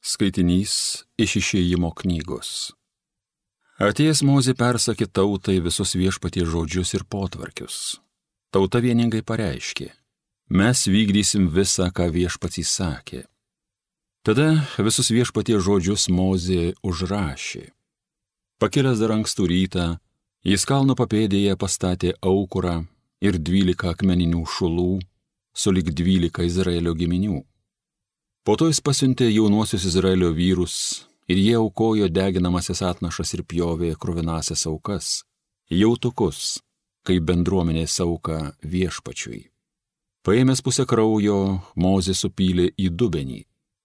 Skaitinys iš Išėjimo knygos. Atėjęs Mozė persakė tautai visus Viešpaties žodžius ir potvarkius. Tauta vieningai pareiškė: mes vykdysim visą, ką Viešpats įsakė. Tada visus Viešpaties žodžius Mozė užrašė. Pakilęs dar ankstų rytą, jis kalno papėdėje pastatė aukurą ir 12 akmeninių šulų, sulig 12 Izraelio giminių. Po to jis pasiuntė jaunuosius Izraelio vyrus ir jie aukojo deginamasias atnašas ir pjovė kruvinasias aukas, jautukus, kaip bendruomenės auką Viešpačiui. Paėmęs pusę kraujo, Mozė supylė į dubenį,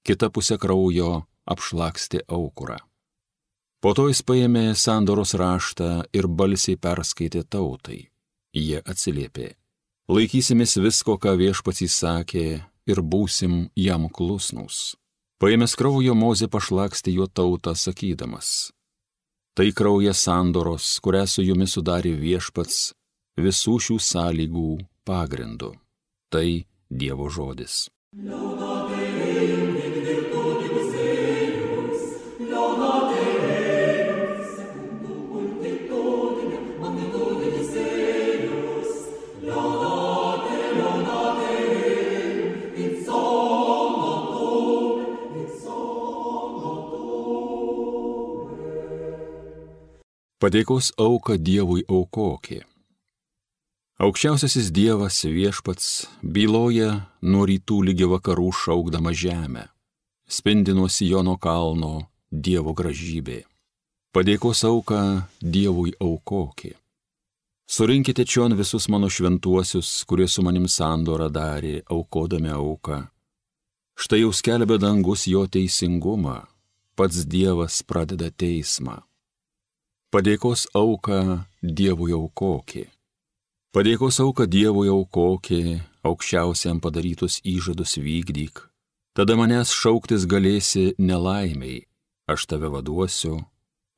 kitą pusę kraujo apšlakstė aukurą. Po to jis paėmė sandoros raštą ir balsiai perskaitė tautai. Jie atsiliepė: laikysimės visko, ką Viešpats įsakė, ir būsim jam klusnūs. Paėmęs kraujo, Mozė pašlakstė jo tautą, sakydamas: tai kraujas sandoros, kurią su jumis sudarė Viešpats visų šių sąlygų pagrindu. Tai Dievo žodis. Padėkos auką Dievui aukokė. Aukščiausiasis Dievas Viešpats byloja nuo rytų ligi vakarų šaukdama žemę. Spindi nuo Siono kalno Dievo gražybė. Padėkos auką Dievui aukokė. Surinkite čion visus mano šventuosius, kurie su manim sandorą darė, aukodami auką. Štai jau skelbia dangus jo teisingumą, pats Dievas pradeda teismą. Padėkos auką Dievui aukokė. Padėkos auką Dievui aukokė, aukščiausiam padarytus įžadus vykdyk. Tada manęs šauktis galėsi nelaimiai, aš tave vaduosiu,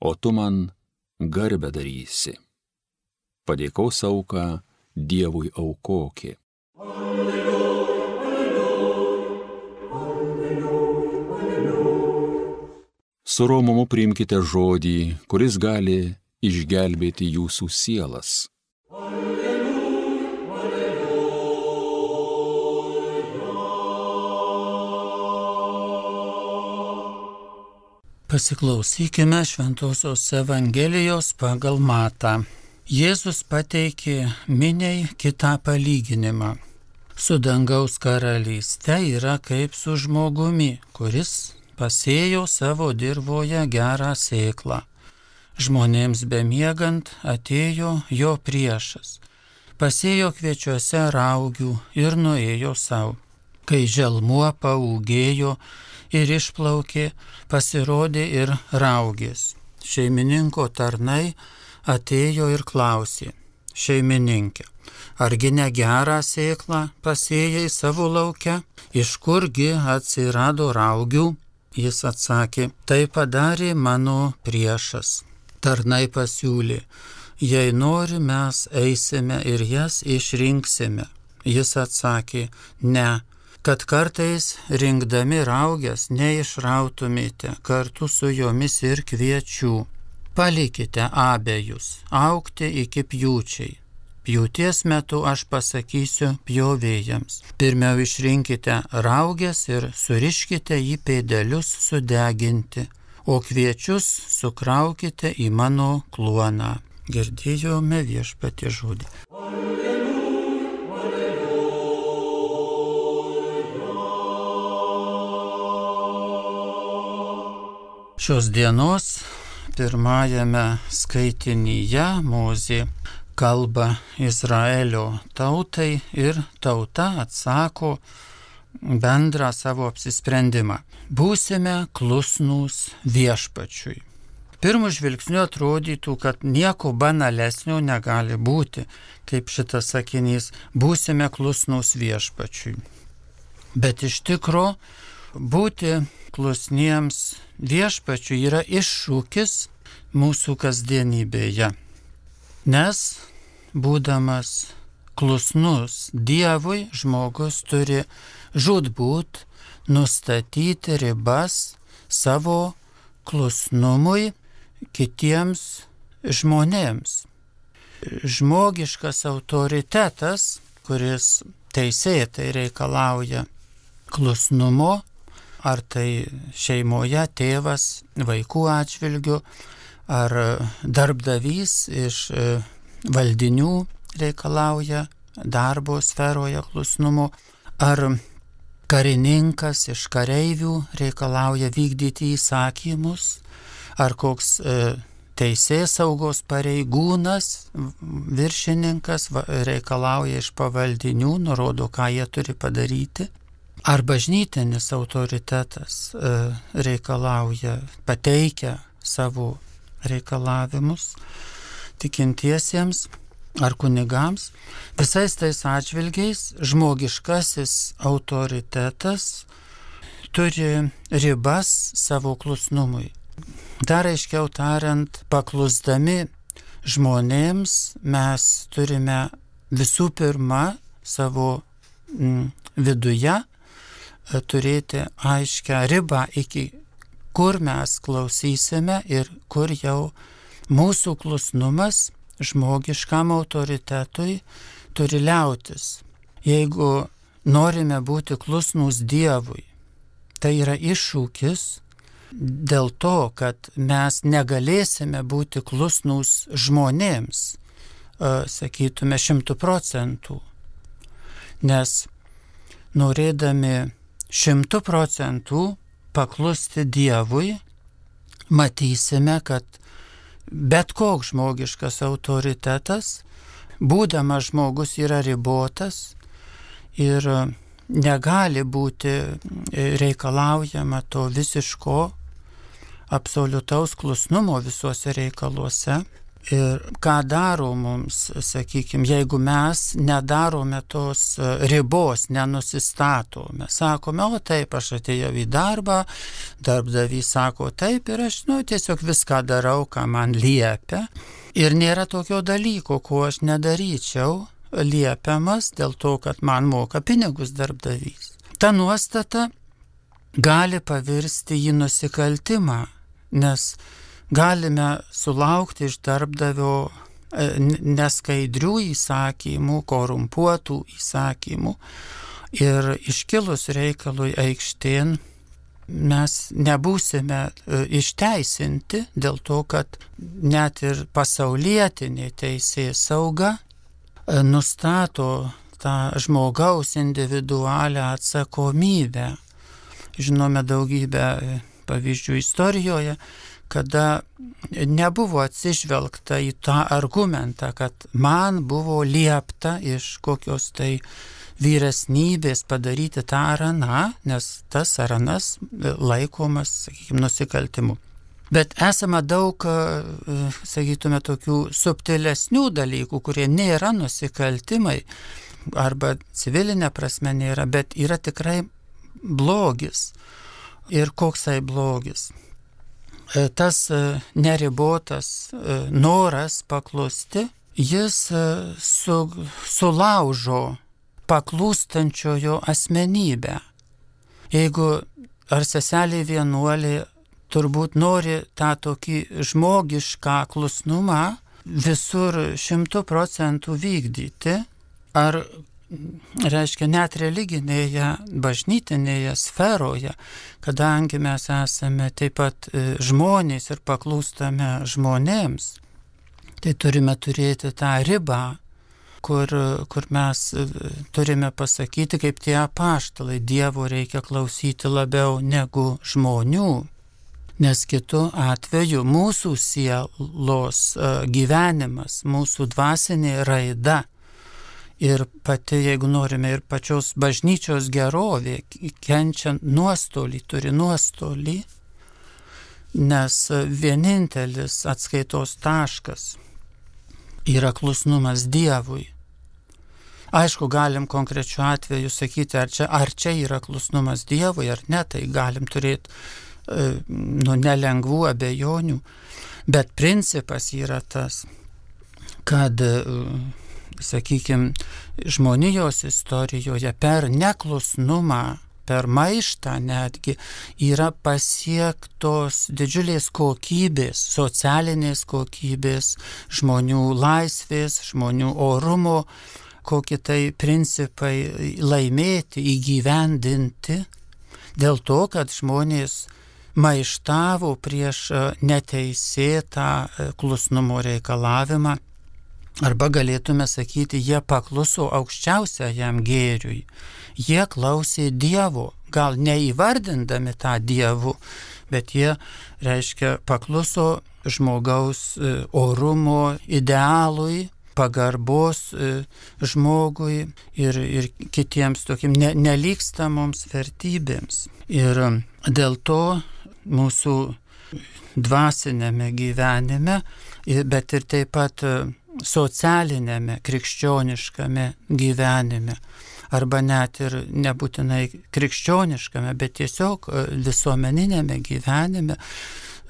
o tu man garbę darysi. Padėkos auką Dievui aukokė. Su romumu priimkite žodį, kuris gali išgelbėti jūsų sielas. Pasiklausykime Šventosios Evangelijos pagal Matą. Jėzus pateikė miniai kitą palyginimą. Su dangaus karalyste yra kaip su žmogumi, kuris pasėjo savo dirvoje gerą sėklą. Žmonėms bemiegant atėjo jo priešas. Pasėjo kviečiuose raugių ir nuėjo savo. Kai želmuo paūgėjo ir išplaukė, pasirodė ir raugės. Šeimininko tarnai atėjo ir klausė: šeimininkė, argi ne gerą sėklą pasėjai savo lauke? Iš kurgi atsirado raugių? Jis atsakė: tai padarė mano priešas. Tarnai pasiūlė: jei nori, mes eisime ir jas išrinksime. Jis atsakė: ne, kad kartais rinkdami raugės neišrautumėte kartu su jomis ir kviečių. Palikite abejus augti iki pjūčiai. Pjūties metu aš pasakysiu pjovėjams: pirmiau išrinkite raugės ir suriškite į pėdelius sudeginti, o kviečius sukraukite į mano kluoną. Girdėjome Viešpaties žodį. Šios dienos pirmajame skaitinyje Mozė kalba Izraelio tautai ir tauta atsako bendrą savo apsisprendimą. Būsime klusnūs Viešpačiui. Pirmu žvilgsniu atrodytų, kad nieko banalesnio negali būti, kaip šitas sakinys: būsime klusnūs Viešpačiui. Bet iš tikro būti klusniems Viešpačiui yra iššūkis mūsų kasdienybėje. Nes, būdamas klusnus Dievui, žmogus turi žūtbūt nustatyti ribas savo klusnumui kitiems žmonėms. Žmogiškas autoritetas, kuris teisėtai reikalauja klusnumo, ar tai šeimoje tėvas vaikų atžvilgių, ar darbdavys iš valdinių reikalauja darbo sferoje klusnumo, ar karininkas iš kareivių reikalauja vykdyti įsakymus, ar koks teisėsaugos pareigūnas, viršininkas reikalauja iš pavaldinių, nurodo, ką jie turi padaryti. Ar bažnytinis autoritetas reikalauja, pateikia savo reikalavimus tikintiesiems ar kunigams. Visais tais atžvilgiais žmogiškasis autoritetas turi ribas savo klusnumui. Dar aiškiau tariant, paklusdami žmonėms mes turime visų pirma savo viduje turėti aiškią ribą, iki kur mes klausysime ir kur jau mūsų klusnumas žmogiškam autoritetui turi liautis. Jeigu norime būti klusnūs Dievui, tai yra iššūkis dėl to, kad mes negalėsime būti klusnūs žmonėms, sakytume 100%, nes norėdami 100% paklusti Dievui, matysime, kad bet koks žmogiškas autoritetas, būdamas žmogus, yra ribotas ir negali būti reikalaujama to visiško absoliutaus klusnumo visuose reikaluose. Ir ką daro mums, sakykime, jeigu mes nedarome tos ribos, nenusistatome, sakome, o taip, aš atėjau į darbą, darbdavys sako taip ir aš tiesiog viską darau, ką man liepia. Ir nėra tokio dalyko, ko aš nedaryčiau liepiamas dėl to, kad man moka pinigus darbdavys. Ta nuostata gali pavirsti į nusikaltimą, nes galime sulaukti iš darbdavio neskaidrių įsakymų, korumpuotų įsakymų ir iškilus reikalui aikštėn mes nebūsime išteisinti dėl to, kad net ir pasaulietinė teisėsauga nustato tą žmogaus individualią atsakomybę. Žinome daugybę pavyzdžių istorijoje, kada nebuvo atsižvelgta į tą argumentą, kad man buvo liepta iš kokios tai vyresnybės padaryti tą ar aną, nes tas ar anas laikomas, sakykime, nusikaltimu. Bet esama daug, sakytume, tokių subtilesnių dalykų, kurie nėra nusikaltimai, arba civilinė prasme nėra, bet yra tikrai blogis. Ir koksai blogis? Tas neribotas noras paklusti, jis sulaužo paklūstančiojo asmenybę. Jeigu ar seselė vienuolė turbūt nori tą tokį žmogišką klusnumą visur 100% vykdyti, ar reiškia net religinėje, bažnytinėje sferoje, kadangi mes esame taip pat žmonės ir paklūstame žmonėms, tai turime turėti tą ribą, kur mes turime pasakyti, kaip tie apaštalai, Dievo reikia klausyti labiau negu žmonių, nes kitu atveju mūsų sielos gyvenimas, mūsų dvasinė raida ir pati, jeigu norime, ir pačios bažnyčios gerovė kenčia nuostolį, turi nuostolį, nes vienintelis atskaitos taškas yra klusnumas Dievui. Aišku, galim konkrečiu atveju sakyti, ar čia yra klusnumas Dievui, ar ne, tai galim turėti nelengvų abejonių, bet principas yra tas, kad sakykime, žmonijos istorijoje per neklusnumą per maištą netgi yra pasiektos didžiulės kokybės, socialinės kokybės, žmonių laisvės, žmonių orumo, kokie tai principai laimėti, įgyvendinti, dėl to, kad žmonės maištavo prieš neteisėtą klusnumo reikalavimą, arba galėtume sakyti, jie pakluso aukščiausiajam gėriui. Jie klausė Dievo, gal neįvardindami tą Dievu, bet jie, reiškia, pakluso žmogaus orumo idealui, pagarbos žmogui ir kitiems tokim nelygstamoms vertybėms. Ir dėl to mūsų dvasinėme gyvenime, bet ir taip pat socialinėme, krikščioniškame gyvenime, arba net ir nebūtinai krikščioniškame, bet tiesiog visuomeninėme gyvenime,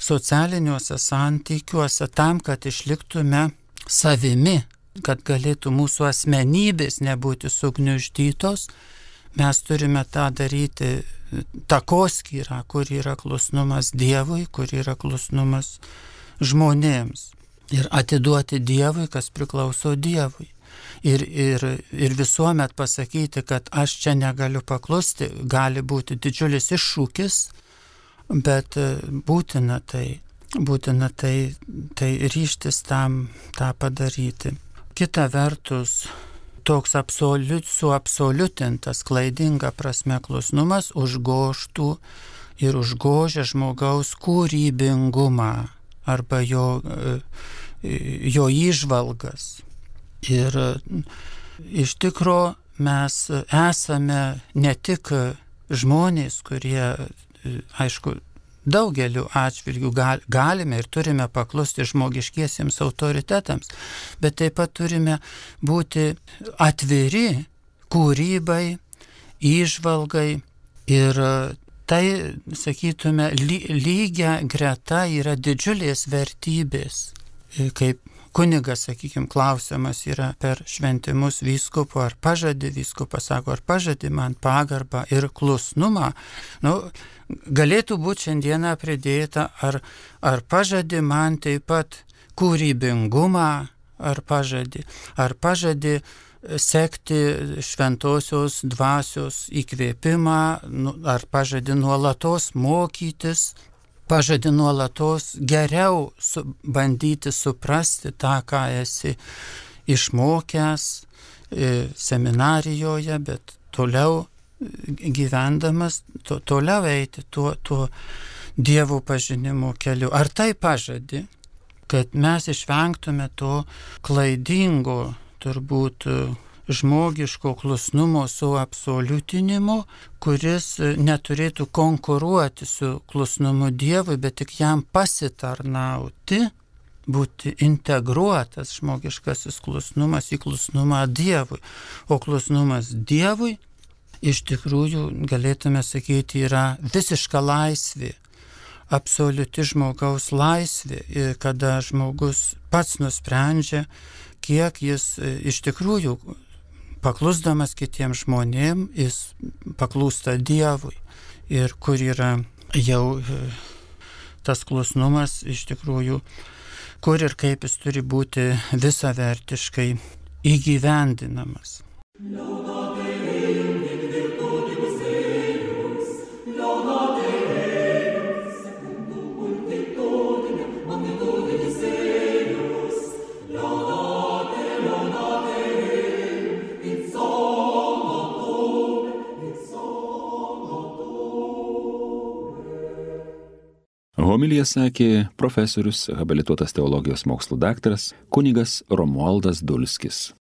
socialiniuose santykiuose, tam, kad išliktume savimi, kad galėtų mūsų asmenybės nebūti sugniuždytos, mes turime tą daryti takoskyrą, kur yra klusnumas Dievui, kur yra klusnumas žmonėms. Ir atiduoti Dievui, kas priklauso Dievui. Ir visuomet pasakyti, kad aš čia negaliu paklusti, gali būti didžiulis iššūkis, bet būtina tai ryžtis tam tą padaryti. Kita vertus, toks suabsoliutintas, klaidinga prasme klusnumas užgožtų ir užgožia žmogaus kūrybingumą arba jo įžvalgas. Ir iš tikro mes esame ne tik žmonės, kurie, aišku, daugeliu atžvilgių galime ir turime paklusti žmogiškiesiems autoritetams, bet taip pat turime būti atviri kūrybai, įžvalgai ir tai, sakytume, lygia greta yra didžiulės vertybės. Kaip kunigas, sakykime, klausimas yra per šventimus vyskupo, ar pažadi, vyskupas sako, ar pažadi man pagarbą ir klusnumą. Galėtų būti šiandieną pridėta, ar pažadi man taip pat kūrybingumą, ar pažadi sekti šventosios dvasios įkvėpimą, ar pažadi nuolatos mokytis, pažadi nuolatos geriau bandyti suprasti tą, ką esi išmokęs seminarijoje, bet toliau gyvendamas, toliau eiti tuo Dievo pažinimo keliu. Ar tai pažadi, kad mes išvengtume to klaidingo, turbūt žmogiško klusnumo suabsoliutinimo, kuris neturėtų konkuruoti su klusnumu Dievui, bet tik jam pasitarnauti, būti integruotas žmogiškasis klusnumas į klusnumą Dievui. O klusnumas Dievui iš tikrųjų, galėtume sakyti, yra visiška laisvė, absoliuti žmogaus laisvė, kada žmogus pats nusprendžia, kiek jis iš tikrųjų, paklusdamas kitiems žmonėms, jis paklūsta Dievui. Ir kur yra jau tas klusnumas iš tikrųjų, kur ir kaip jis turi būti visavertiškai įgyvendinamas. Homiliją sakė profesorius, habilituotas teologijos mokslų daktaras kunigas Romualdas Dulskis.